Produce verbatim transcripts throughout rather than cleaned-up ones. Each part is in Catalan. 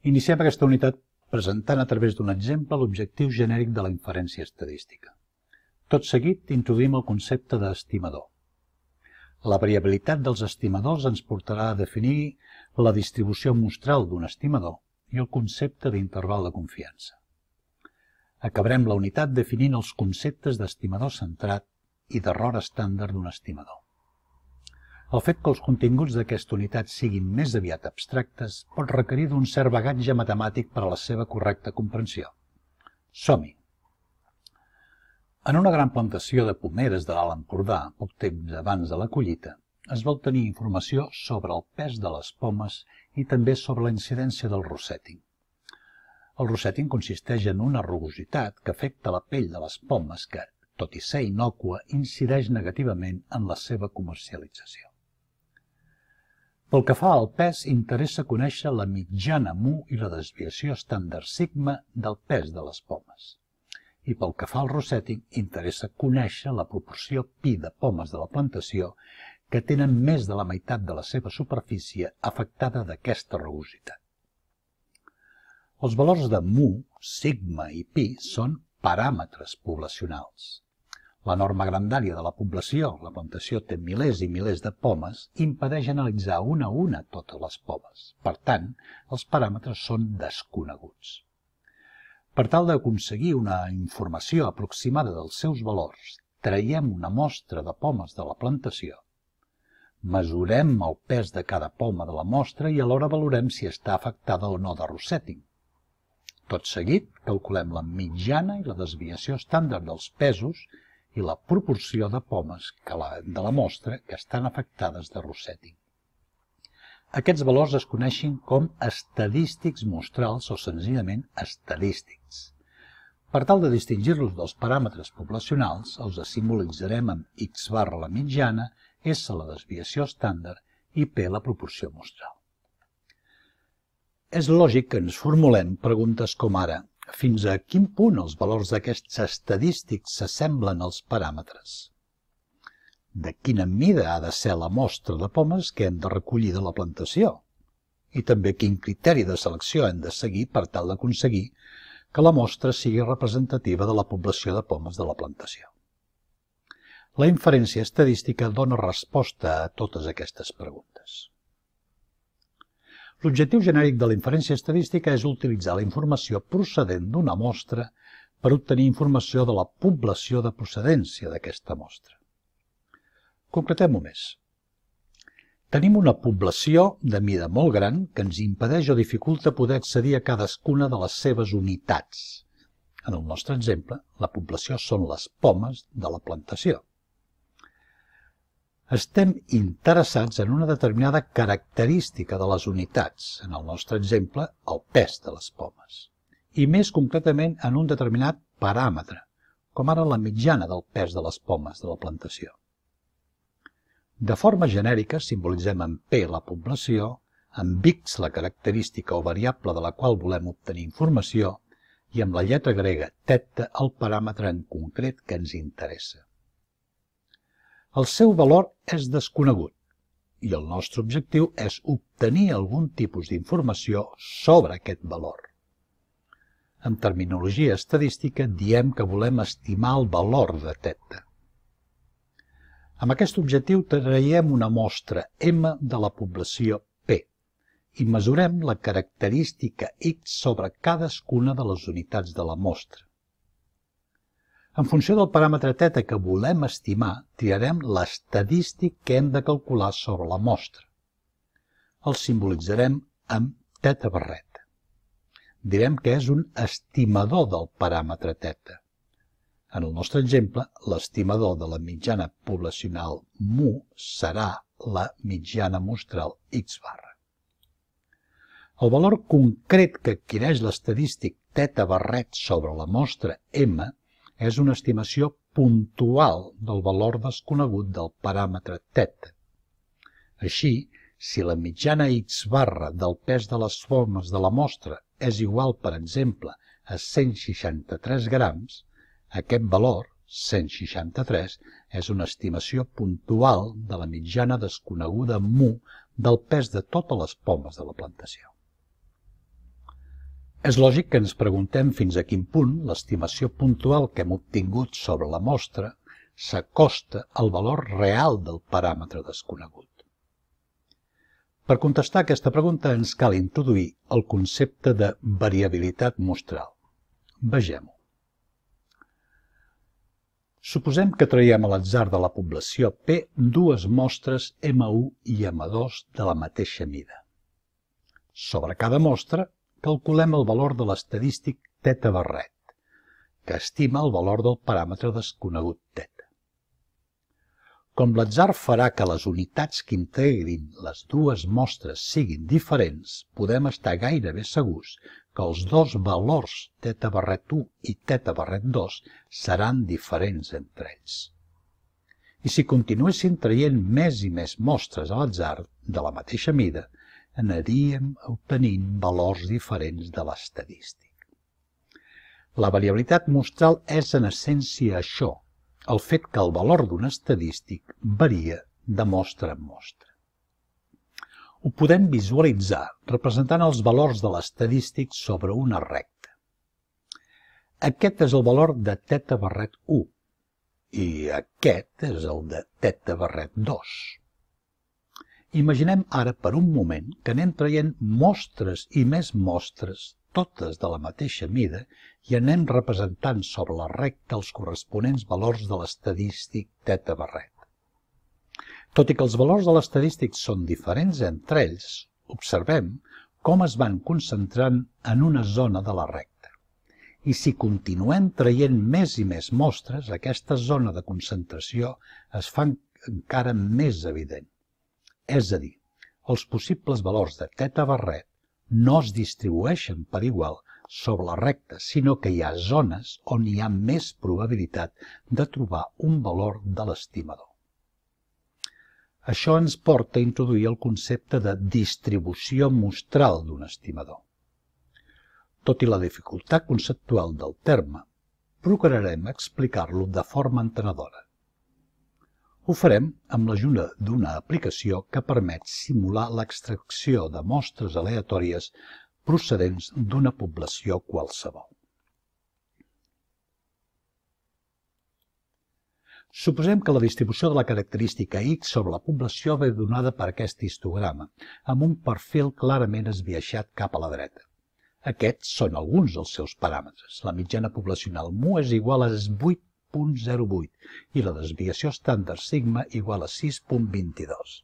Iniciem aquesta unitat presentant a través d'un exemple l'objectiu genèric de la inferència estadística. Tot seguit introduïm el concepte d'estimador. La variabilitat dels estimadors ens portarà a definir la distribució mostral d'un estimador i el concepte d'interval de confiança. Acabarem la unitat definint els conceptes d'estimador centrat i d'error estàndard d'un estimador. El fet que els continguts d'aquesta unitat siguin més aviat abstractes pot requerir d'un cert bagatge matemàtic per a la seva correcta comprensió. Som-hi! En una gran plantació de pomeres de l'Alt Empordà, poc temps abans de la collita, es va obtenir informació sobre el pes de les pomes i també sobre la incidència del rosseting. El rosseting consisteix en una rugositat que afecta la pell de les pomes que, tot i ser innòcua, incideix negativament en la seva comercialització. Pel que fa al pes, interessa conèixer la mitjana mu i la desviació estàndard sigma del pes de les pomes. I pel que fa al rosseting, interessa conèixer la proporció pi de pomes de la plantació que tenen més de la meitat de la seva superfície afectada d'aquesta rugositat. Els valors de mu, sigma i pi són paràmetres poblacionals. La norma grandària de la població, la plantació té milers i milers de pomes, impedeix analitzar una a una totes les pomes. Per tant, els paràmetres són desconeguts. Per tal d'aconseguir una informació aproximada dels seus valors, traiem una mostra de pomes de la plantació, mesurem el pes de cada poma de la mostra i alhora valorem si està afectada o no de rosseting. Tot seguit, calculem la mitjana i la desviació estàndard dels pesos i la proporció de pomes de la mostra que estan afectades de rosseting. Aquests valors es coneixen com estadístics mostrals o senzillament estadístics. Per tal de distingir-los dels paràmetres poblacionals, els simbolitzarem amb x barra la mitjana, s la desviació estàndard i p la proporció mostral. És lògic que ens formulem preguntes com ara: fins a quin punt els valors d'aquests estadístics s'assemblen als paràmetres? De quina mida ha de ser la mostra de pomes que hem de recollir de la plantació? I també quin criteri de selecció hem de seguir per tal d'aconseguir que la mostra sigui representativa de la població de pomes de la plantació? La inferència estadística dona resposta a totes aquestes preguntes. L'objectiu genèric de la inferència estadística és utilitzar la informació procedent d'una mostra per obtenir informació de la població de procedència d'aquesta mostra. Concretem-ho més. Tenim una població de mida molt gran que ens impedeix o dificulta poder accedir a cadascuna de les seves unitats. En el nostre exemple, la població són les pomes de la plantació. Estem interessats en una determinada característica de les unitats, en el nostre exemple, el pes de les pomes, i més concretament en un determinat paràmetre, com ara la mitjana del pes de les pomes de la plantació. De forma genèrica simbolitzem amb P la població, amb X la característica o variable de la qual volem obtenir informació i amb la lletra grega θ el paràmetre en concret que ens interessa. El seu valor és desconegut i el nostre objectiu és obtenir algun tipus d'informació sobre aquest valor. En terminologia estadística diem que volem estimar el valor de θ. Amb aquest objectiu traiem una mostra M de la població P i mesurem la característica X sobre cadascuna de les unitats de la mostra. En funció del paràmetre θ que volem estimar, triarem l'estadístic que hem de calcular sobre la mostra. El simbolitzarem amb θ barret. Direm que és un estimador del paràmetre θ. En el nostre exemple, l'estimador de la mitjana poblacional mu serà la mitjana mostral x barra. El valor concret que adquireix l'estadístic θ barret sobre la mostra M és una estimació puntual del valor desconegut del paràmetre θ. Així, si la mitjana x barra del pes de les pomes de la mostra és igual, per exemple, a cent seixanta-tres grams, aquest valor, cent seixanta-tres, és una estimació puntual de la mitjana desconeguda mu del pes de totes les pomes de la plantació. És lògic que ens preguntem fins a quin punt l'estimació puntual que hem obtingut sobre la mostra s'acosta al valor real del paràmetre desconegut. Per contestar aquesta pregunta ens cal introduir el concepte de variabilitat mostral. Vegem-ho. Suposem que traiem a l'atzar de la població P dues mostres M u i M dos de la mateixa mida. Sobre cada mostra, calculem el valor de l'estadístic θ barret, que estima el valor del paràmetre desconegut θ. Com l'atzar farà que les unitats que integrin les dues mostres siguin diferents, podem estar gairebé segurs que els dos valors θ barret u i θ barret dos seran diferents entre ells. I si continuéssim traient més i més mostres a l'atzar de la mateixa mida, aniríem obtenint valors diferents de l'estadístic. La variabilitat mostral és en essència això, el fet que el valor d'un estadístic varia de mostra en mostra. Ho podem visualitzar representant els valors de l'estadístic sobre una recta. Aquest és el valor de θ barret u i aquest és el de θ barret dos. Imaginem ara per un moment que anem traient mostres i més mostres, totes de la mateixa mida, i anem representant sobre la recta els corresponents valors de l'estadístic θ barret. Tot i que els valors de l'estadístic són diferents entre ells, observem com es van concentrant en una zona de la recta. I si continuem traient més i més mostres, aquesta zona de concentració es fa encara més evident. És a dir, els possibles valors de θ barret no es distribueixen per igual sobre la recta, sinó que hi ha zones on hi ha més probabilitat de trobar un valor de l'estimador. Això ens porta a introduir el concepte de distribució mostral d'un estimador. Tot i la dificultat conceptual del terme, procurarem explicar-lo de forma entenedora. Ho farem amb l'ajuda d'una aplicació que permet simular l'extracció de mostres aleatòries procedents d'una població qualsevol. Suposem que la distribució de la característica X sobre la població ve donada per aquest histograma, amb un perfil clarament esbiaixat cap a la dreta. Aquests són alguns dels seus paràmetres. La mitjana poblacional mu és igual a vuit coma zero vuit i la desviació estàndard sigma igual a sis coma vint-i-dos.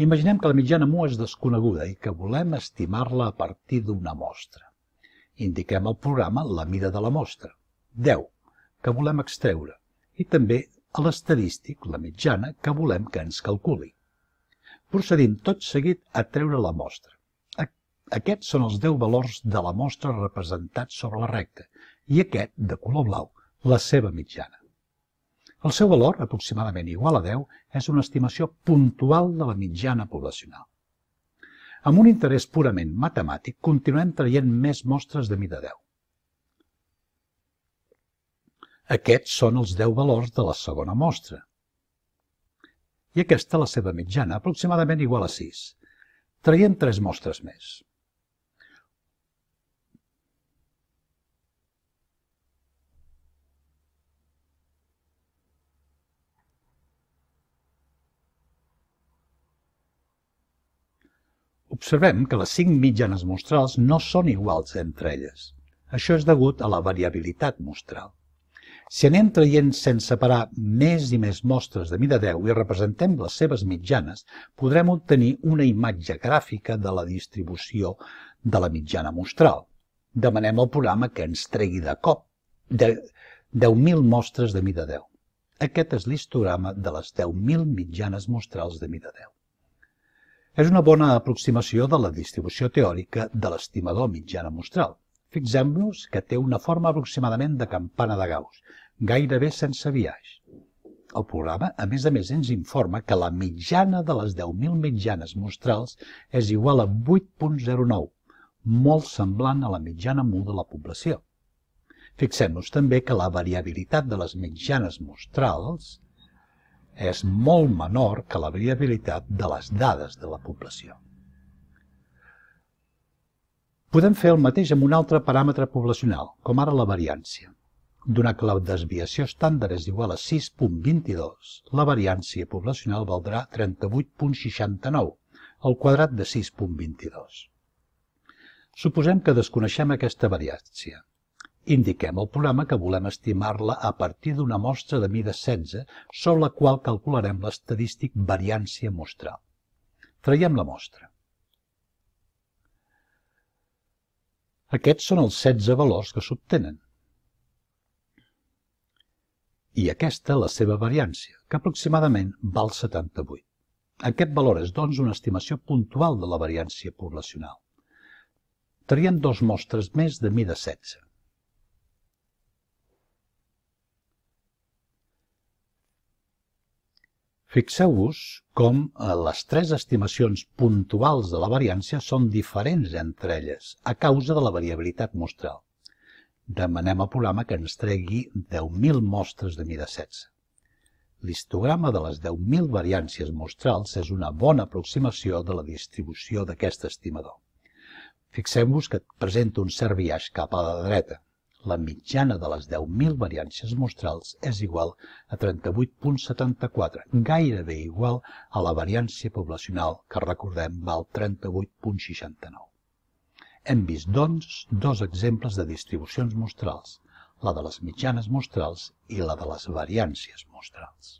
Imaginem que la mitjana mu és desconeguda i que volem estimar-la a partir d'una mostra. Indiquem al programa la mida de la mostra, deu, que volem extreure, i també a l'estadístic, la mitjana, que volem que ens calculi. Procedim tot seguit a treure la mostra. Aquests són els deu valors de la mostra representats sobre la recta i aquest, de color blau, la seva mitjana. El seu valor, aproximadament igual a deu, és una estimació puntual de la mitjana poblacional. Amb un interès purament matemàtic, continuem traient més mostres de mida deu. Aquests són els deu valors de la segona mostra. I aquesta la seva mitjana, aproximadament igual a sis. Traiem tres mostres més. Observem que les cinc mitjanes mostrals no són iguals entre elles. Això és degut a la variabilitat mostral. Si anem traient sense parar més i més mostres de mida deu i representem les seves mitjanes, podrem obtenir una imatge gràfica de la distribució de la mitjana mostral. Demanem al programa que ens tregui de cop deu mil mostres de mida deu. Aquest és l'histograma de les deu mil mitjanes mostrals de mida deu. És una bona aproximació de la distribució teòrica de l'estimador mitjana mostral. Fixem-nos que té una forma aproximadament de campana de Gauss, gairebé sense biaix. El programa, a més a més, ens informa que la mitjana de les deu mil mitjanes mostrals és igual a vuit coma zero nou, molt semblant a la mitjana mu de la població. Fixem-nos també que la variabilitat de les mitjanes mostrals és molt menor que la variabilitat de les dades de la població. Podem fer el mateix amb un altre paràmetre poblacional, com ara la variància. Donat que la desviació estàndard és igual a sis coma vint-i-dos, la variància poblacional valdrà trenta-vuit coma seixanta-nou, el quadrat de sis coma vint-i-dos. Suposem que desconeixem aquesta variància. Indiquem al programa que volem estimar-la a partir d'una mostra de mida setze, sobre la qual calcularem l'estadístic variància mostral. Traiem la mostra. Aquests són els setze valors que s'obtenen. I aquesta la seva variància, que aproximadament val setanta-vuit. Aquest valor és, doncs, una estimació puntual de la variància poblacional. Triem dos mostres més de mida setze. Fixeu-vos com les tres estimacions puntuals de la variància són diferents entre elles a causa de la variabilitat mostral. Demanem al programa que ens tregui deu mil mostres de mida setze. L'histograma de les deu mil variàncies mostrals és una bona aproximació de la distribució d'aquest estimador. Fixem-vos que presenta un cert biaix cap a la dreta. La mitjana de les deu mil variàncies mostrals és igual a trenta-vuit coma setanta-quatre, gairebé igual a la variància poblacional, que recordem val trenta-vuit coma seixanta-nou. Hem vist, doncs, dos exemples de distribucions mostrals, la de les mitjanes mostrals i la de les variàncies mostrals.